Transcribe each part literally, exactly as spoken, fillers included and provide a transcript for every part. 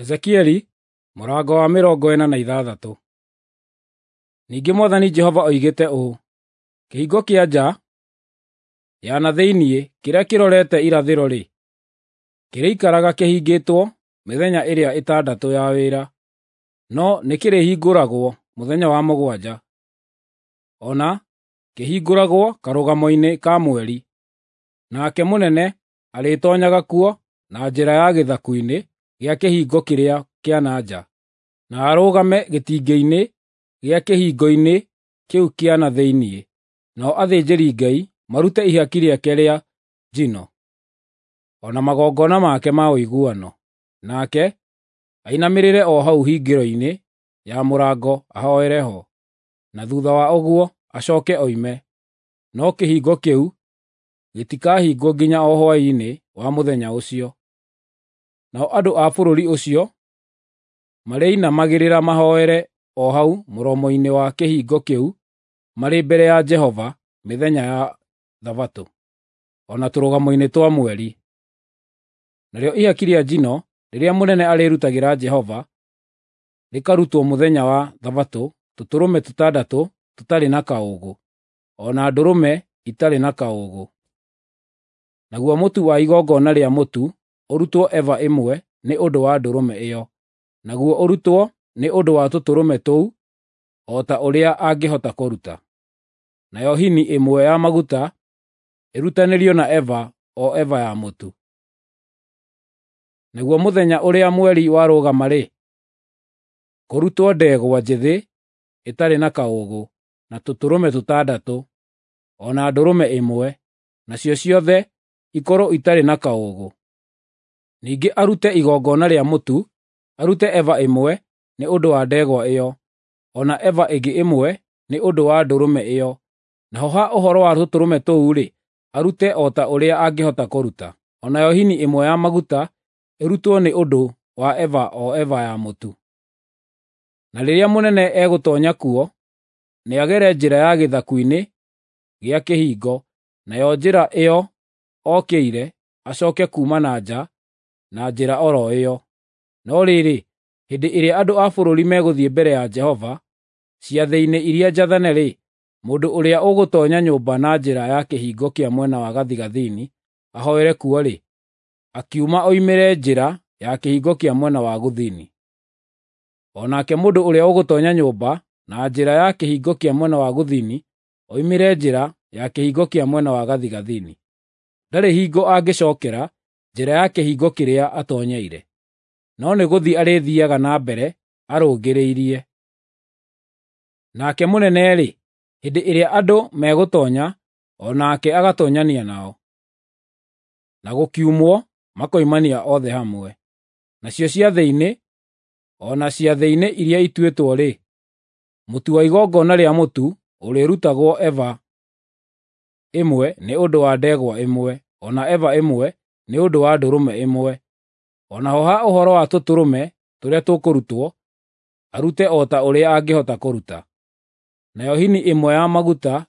Ezekieli mũrango wa mĩrongo ĩna na ithathatũ. Ningĩ Mwathani Jehova oigĩte ũũ: Kĩhingo kĩa nja ya na thĩinĩ kĩrĩa kĩrorete irathĩro-rĩ, kĩrĩikaraga kĩhingĩtwo mĩthenya ĩrĩa ĩtandatũ ya wĩra, no nĩkĩrĩhingũragwo mũthenya wa mũgwanja, o na kĩhingũragwo karũgamo-inĩ ka mweri. Nake mũnene arĩtoonyaga kuo na njĩra ya gĩthaku-inĩ gĩa kĩhingo kĩrĩa kĩa na nja, na arũgame gĩtingĩ-inĩ gĩa kĩhingo-inĩ kĩu kĩa na thĩinĩ, nao athĩnjĩri-Ngai marute ihaki rĩake rĩa njino, o na magongona make ma ũiguano. Nake ainamĩrĩre o hau hingĩro-inĩ ya mũrango ahooere ho, na thuutha wa ũguo acooke oime. No kĩhingo kĩu gĩtikahingwo nginya o hwaĩ-inĩ wa mũthenya ũcio. Nao andũ a bũrũri ũcio marĩinamagĩrĩra mahooere o hau mũromo-inĩ wa kĩhingo kĩu marĩ mbere ya Jehova mĩthenya ya Thabatũ, o na tũrũgamo-inĩ twa mweri. Narĩo ihaki rĩa njino rĩrĩa mũnene arĩrutagĩra Jehova rĩkarutwo mũthenya wa Thabatũ, tũtũrũme tũtandatũ tũtarĩ na kaũũgũ, o na ndũrũme itarĩ na kaũũgũ. Naguo mũtu wa igongona rĩa mũtu ũrutwo eba ĩmwe nĩ ũndũ wa ndũrũme ĩyo, naguo ũrutwo nĩ ũndũ wa tũtũrũme tũu o ta ũrĩa angĩhota kũruta. Nayo hini ĩmwe ya maguta ĩrutanĩrio na eba o eba ya mũtu. Naguo mũthenya ũrĩa mweri warũgama-rĩ, kũrutwo ndegwa njĩthĩ ĩtarĩ na kaũũgũ, na tũtũrũme tũtandatũ, o na ndũrũme ĩmwe, nacio ciothe ikorwo itarĩ na kaũũgũ. Ningĩ arute igongona rĩa mũtu, arute eba ĩmwe nĩ ũndũ wa ndegwa ĩyo, o na eba ĩngĩ ĩmwe nĩ ũndũ wa ndũrũme ĩyo, naho ha ũhoro wa tũtũrũme tũu-rĩ, arute o ta ũrĩa angĩhota kũruta. O nayo hini ĩmwe ya maguta ĩrutwo nĩ ũndũ wa eba o eba ya mũtu. Na rĩrĩa mũnene egũtoonya kuo, nĩagere njĩra ya gĩthaku-inĩ gĩa kĩhingo, nayo njĩra ĩyo okĩire acooke kuuma na nja na njĩra o ro ĩyo. No rĩrĩ, hĩndĩ ĩrĩa andũ a bũrũri megũthiĩ mbere ya Jehova ciathĩ-inĩ iria njathane-rĩ, mũndũ ũrĩa ũgũtoonya nyũmba na njĩra ya kĩhingo kĩa mwena wa gathigathini ahooere kuo-rĩ, akiuma oimĩre njĩra ya kĩhingo kĩa mwena wa gũthini. O nake mũndũ ũrĩa ũgũtoonya nyũmba na njĩra ya kĩhingo kĩa mwena wa gũthini oimĩre njĩra ya kĩhingo kĩa mwena wa gathigathini. Ndarĩ hingo angĩcookera njĩra ya kĩhingo kĩrĩa atoonyeire, no nĩgũthiĩ arĩthiiaga na mbere arũngĩrĩirie. Nake mũnene-rĩ, hĩndĩ ĩrĩa andũ megũtoonya, o nake agatoonyania nao, na gũkiumwo makoimania othe hamwe. Nacio ciathĩ-inĩ, o na ciathĩ-inĩ iria ituĩtwo-rĩ, mũtu wa igongona rĩa mũtu ũrĩrutagwo eba ĩmwe nĩ ũndũ wa ndegwa ĩmwe, o na eba ĩmwe nĩ ũndũ wa ndũrũme ĩmwe. O naho ha ũhoro wa tũtũrũme tũrĩa tũkũrutwo, arute o ta ũrĩa angĩhota kũruta. Nayo hini ĩmwe ya maguta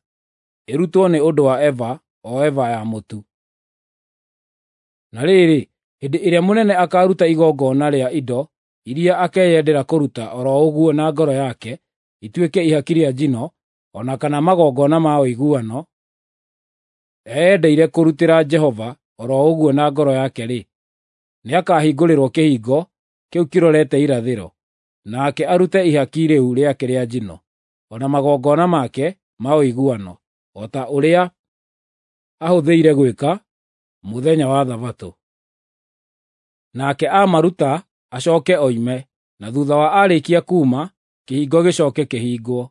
ĩrutwo nĩ ũndũ wa eba o eba ya mũtu. Na rĩrĩ, hĩndĩ ĩrĩa mũnene akaaruta igongona rĩa indo iria akeyendera kũruta o ro ũguo na ngoro yake ituĩke ihaki rĩa njino, o na kana magongona ma ũiguano, eyendeire kũrutĩra Jehova o ro ũguo na ngoro yake-rĩ, nĩakahingũrĩrwo kĩhingo kĩu kĩrorete irathĩro, nake arute ihaki rĩu rĩake rĩa njino, o na magongona make ma ũiguano, o ta ũrĩa ahũthĩire gwĩka mũthenya wa Thabatũ. Nake aamaruta acooke oime, na thuutha wa aarĩkia kuuma, kĩhingo gĩcooke kĩhingwo.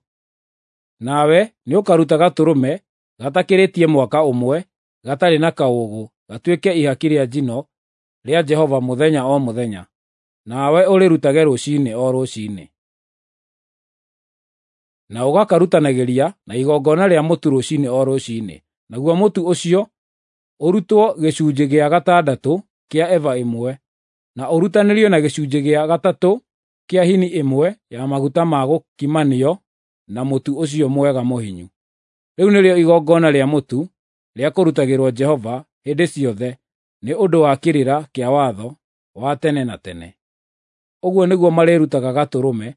Nawe nĩũkaruta gatũrũme gatakĩrĩtie mwaka ũmwe, gatarĩ na kaũũgũ, gatuĩke ihaki rĩa njino rĩa Jehova mũthenya o mũthenya. Nawe ũrĩrutage rũciinĩ o rũciinĩ. Na ũgakarutanagĩria na igongona rĩa mũtu rũciinĩ o rũciinĩ. Naguo mũtu ũcio ũrutwo gĩcunjĩ gĩa gatandatũ kĩa eba ĩmwe, na ũrutanĩrio na gĩcunjĩ gĩa gatatũ kĩa hini ĩmwe ya maguta ma gũkimanio na mũtu ũcio mwega mũhinyu. Rĩu nĩrĩo igongona rĩa mũtu rĩa kũrutagĩrwo Jehova hĩndĩ ciothe nĩ ũndũ wa kĩrĩra kĩa watho wa tene na tene. Ũguo nĩguo marĩrutaga gatũrũme,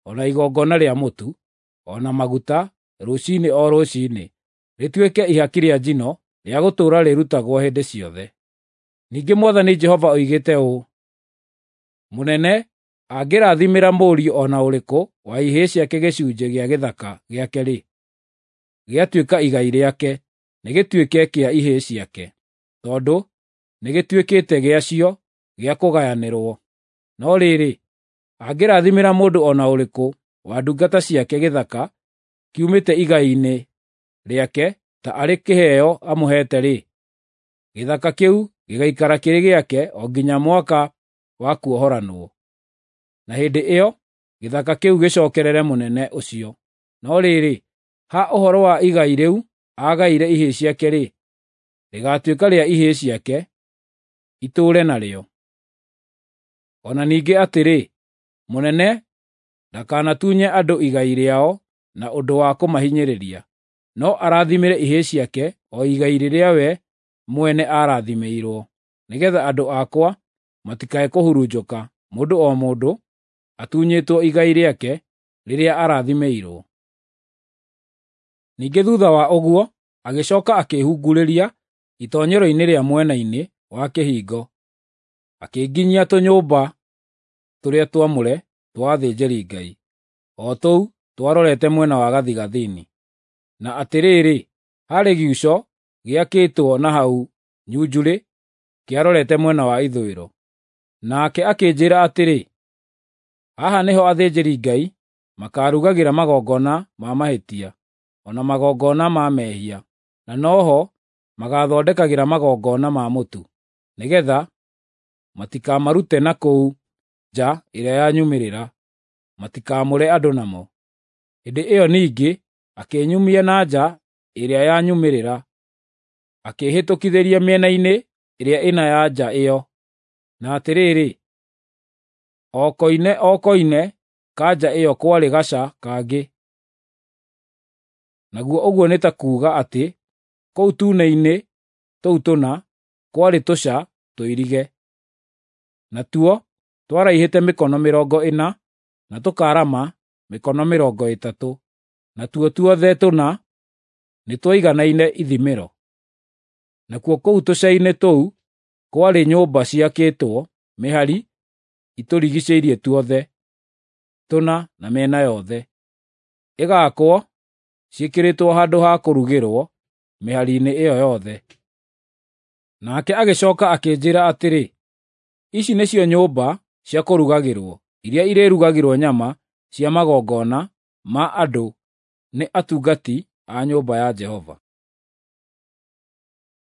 o na igongona rĩa mũtu, o na maguta, rũciinĩ o rũciinĩ, rĩtuĩke ihaki rĩa njino rĩa gũtũũra rĩrutagwo hĩndĩ ciothe. Ningĩ Mwathani Jehova oigĩte ũũ: Mũnene angĩrathimĩra mũriũ o na ũrĩkũ wa ihĩĩ ciake gĩcunjĩ gĩa gĩthaka gĩake-rĩ, gĩatuĩka igai rĩake, nĩgĩtuĩke kĩa ihĩĩ ciake, tondũ nĩgĩtuĩkĩte gĩacio gĩa kũgayanĩrwo. No rĩrĩ, angĩrathimĩra mũndũ o na ũrĩkũ wa ndungata ciake gĩthaka kiumĩte igai-inĩ rĩake ta arĩ kĩheo amũheete-rĩ, gĩthaka kĩu gĩgaikara kĩrĩ gĩake o nginya mwaka wa kuohoranwo. Na hĩndĩ ĩyo gĩthaka kĩu gĩcookerere mũnene ũcio. No rĩrĩ, ha ũhoro wa igai rĩu aagaĩire ihĩĩ ciake-rĩ, rĩgaatuĩka rĩa ihĩĩ ciake, itũũre narĩo. O na ningĩ atĩrĩ, mũnene ndakanatunye andũ igai rĩao na ũndũ wa kũmahinyĩrĩria, no arathimĩre ihĩĩ ciake o igai rĩrĩa we mwene aarathimĩirwo, nĩgeetha andũ akwa matikae kũhurunjũka, mũndũ o mũndũ atunyĩtwo igai rĩake rĩrĩa arathimĩirwo. Ningĩ thuutha wa ũguo agĩcooka akĩĩhungurĩria itoonyero-inĩ rĩa mwena-inĩ wa kĩhingo, akĩnginyia tũnyũmba tũrĩa twamũre twa athĩnjĩri-Ngai, o tũu twarorete mwena wa gathigathini. Na atĩrĩrĩ, haarĩ gĩuco gĩakĩtwo na hau nyunjurĩ kĩarorete mwena wa ithũĩro. Nake akĩnjĩĩra atĩrĩ, “Haha nĩho athĩnjĩri-Ngai makaarugagĩra magongona ma mahĩtia, o na magongona ma mehia, na no ho magathondekagĩra magongona ma mũtu, nĩgeetha matikamarute na kũu nja ĩrĩa ya nyumĩrĩra, matikaamũre andũ namo.” Hĩndĩ ĩyo ningĩ akĩnyumia na nja ĩrĩa ya nyumĩrĩra, akĩĩhĩtũkithĩria mĩena-inĩ ĩrĩa ĩna ya nja ĩyo. Na atĩrĩrĩ, o koine o koine ka nja ĩyo kwarĩ gaca kangĩ. Naguo ũguo nĩ ta kuuga atĩ kũu tuune-inĩ tũu tũna kwarĩ tũca tũirige. Natuo twaraihĩte mĩkono mĩrongo ĩna na tũkaarama mĩkono mĩrongo ĩtatũ, natuo tuothe tũna nĩtwaiganaine ithimĩro. Nakuo kũu tũca-inĩ tũu kwarĩ nyũmba ciakĩtwo mĩhari itũrigiicĩirie tuothe tũna na mĩena yothe, igaakwo ciĩkĩrĩtwo handũ ha kũrugĩrwo mĩhari-inĩ ĩyo yothe. Nake agĩcooka akĩnjĩĩra atĩrĩ, “Ici nĩcio nyũmba cia kũrugagĩrwo, iria irĩrugagĩrwo nyama cia magongona ma andũ nĩ atungati a nyũmba ya Jehova.”